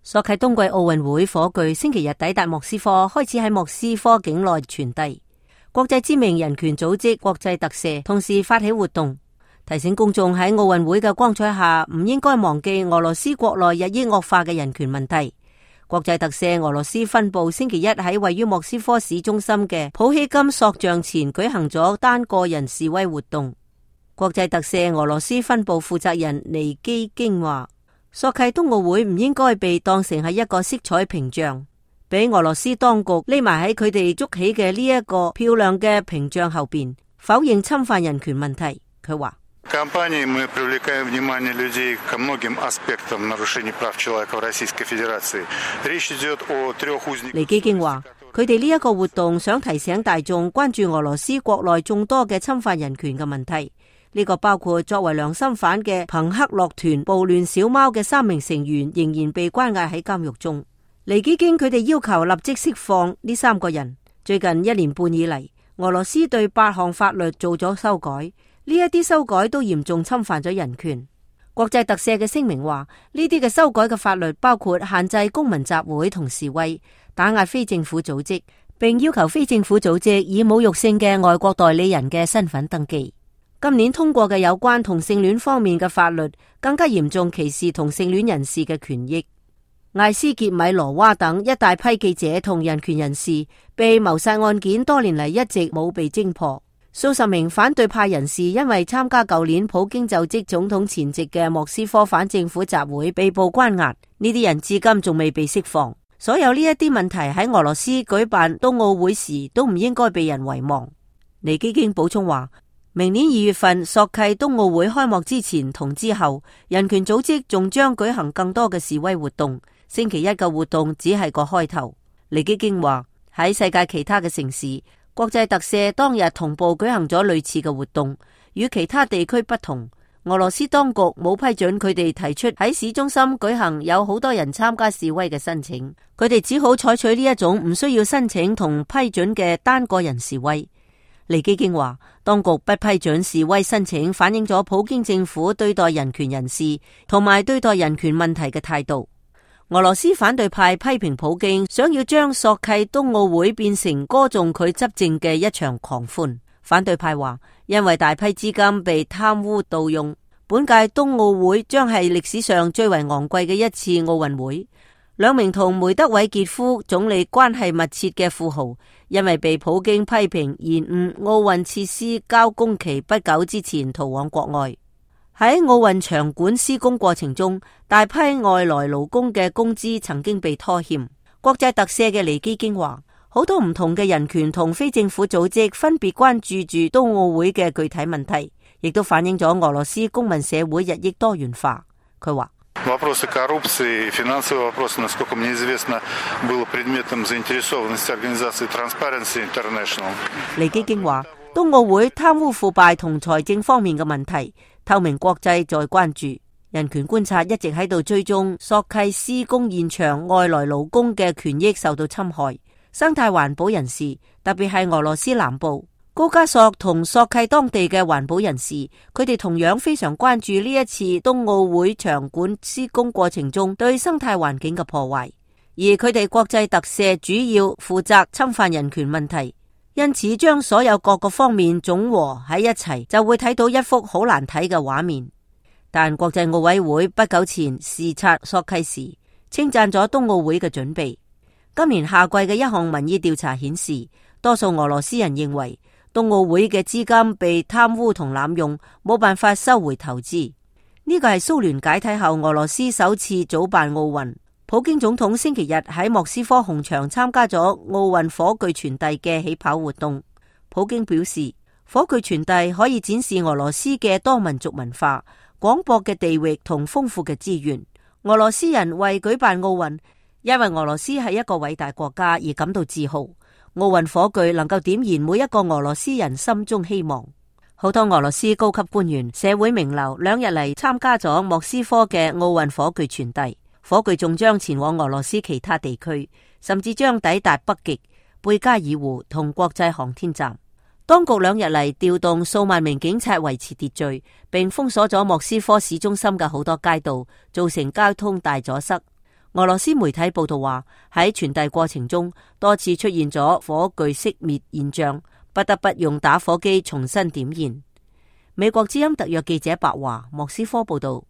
索契冬季奧運會火炬星期日抵達莫斯科，開始喺莫斯科境內傳遞。國際知名人權組織國際特赦同時發起活動，提醒公眾喺奧運會嘅光彩下唔應該忘記俄羅斯國內日益惡化嘅人權問題。國際特赦俄羅斯分部星期一喺位於莫斯科市中心嘅普希金塑像前舉行咗單個人示威活動。國際特赦俄羅斯分部負責人尼基京話：索契冬奧會唔應該被當成係一個色彩屏障，俾俄羅斯當局匿埋喺佢哋築起嘅呢一個漂亮嘅屏障後邊，否認侵犯人權問題。佢話：尼基京話，佢哋呢一個活動想提醒大眾關注俄羅斯國內眾多嘅侵犯人權嘅問題。呢個包括作為良心犯嘅朋克樂團暴亂小貓嘅3名成員仍然被關押喺監獄中。尼基京佢哋要求立即釋放呢3個人。最近1年半以嚟，俄羅斯對8項法律做咗修改，呢一啲修改都嚴重侵犯咗人權。國際特赦嘅聲明話，呢啲嘅修改嘅法律包括限制公民集會同示威，打壓非政府組織，並要求非政府組織以侮辱性嘅外國代理人嘅身份登記。今年通過嘅有關同性戀方面嘅法律，更加嚴重歧視同性戀人士嘅權益。艾斯傑米羅娃等一大批記者同人權人士被謀殺案件多年嚟一直冇被偵破。數十名反對派人士因為參加舊年普京就職總統前夕嘅莫斯科反政府集會被捕關押，呢啲人至今仲未被釋放。所有呢一啲問題喺俄羅斯舉辦冬奧會時都唔應該被人遺忘。尼基京補充話，明年2月份索契冬奧會開幕之前同之後，人權組織仲將舉行更多嘅示威活動。星期一嘅活動只係個開頭。尼基京話，喺世界其他嘅城市，國際特赦當日同步舉行咗類似嘅活動，與其他地區不同。俄羅斯當局冇批准佢哋提出喺市中心舉行有好多人參加示威嘅申請，佢哋只好採取呢一種唔需要申請同批准嘅單個人示威。尼基京話，當局不批准示威申請，反映咗普京政府對待人權人士同埋對待人權問題嘅態度。俄羅斯反對派批評普京想要將索契冬奧會變成歌頌佢執政嘅一場狂歡。反對派話，因為大批資金被貪污盜用，本屆冬奧會將係歷史上最為昂貴嘅一次奧運會。2名同梅德韋傑夫總理關係密切嘅富豪，因為被普京批評延誤奧運設施交工期不久之前逃往國外。喺奧運場館施工過程中，大批外來勞工嘅工資曾經被拖欠。國際特赦嘅尼基京話，好多唔同嘅人權同非政府組織分別關注住冬奧會嘅具體問題，亦都反映咗俄羅斯公民社會日益多元化。佢話，Вопросы коррупции, финансовые вопросы, насколько мне известно, было предметом заинтересованности организации Transparency International. 尼基京話，冬奧會貪污腐敗同財政方面嘅問題，透明國際在關注。人權觀察一直喺度追蹤索契施工現場外來勞工嘅權益受到侵害。生態環保人士，特別係俄羅斯南部高加索同索契當地嘅環保人士，佢哋同樣非常關注呢一次冬奧會場館施工過程中對生態環境嘅破壞，而佢哋國際特赦主要負責侵犯人權問題，因此將所有各個方面總和喺一齊，就會睇到一幅好難睇嘅畫面。但國際奧委會不久前視察索契時，稱讚咗冬奧會嘅準備。今年夏季嘅一項民意調查顯示，多數俄羅斯人認為冬奧會嘅資金被貪污同濫用，冇辦法收回投資。呢個係蘇聯解體後俄羅斯首次組辦奧運。普京總統星期日喺莫斯科紅場參加咗奧運火炬傳遞嘅起跑活動。普京表示，火炬傳遞可以展示俄羅斯嘅多民族文化、廣博嘅地域同豐富嘅資源。俄羅斯人為舉辦奧運，因為俄羅斯係一個偉大國家而感到自豪。奧運火炬能夠點燃每一個俄羅斯人心中希望。好多俄羅斯高級官員、社會名流2日嚟參加咗莫斯科嘅奧運火炬傳遞。火炬仲將前往俄羅斯其他地區，甚至將抵達北極、貝加爾湖同國際航天站。當局2日嚟調動數萬名警察維持秩序，並封鎖咗莫斯科市中心嘅好多街道，造成交通大阻塞。俄羅斯媒體報道話，喺傳遞過程中多次出現咗火炬熄滅現象，不得不用打火機重新點燃。美國之音特約記者白華莫斯科報道。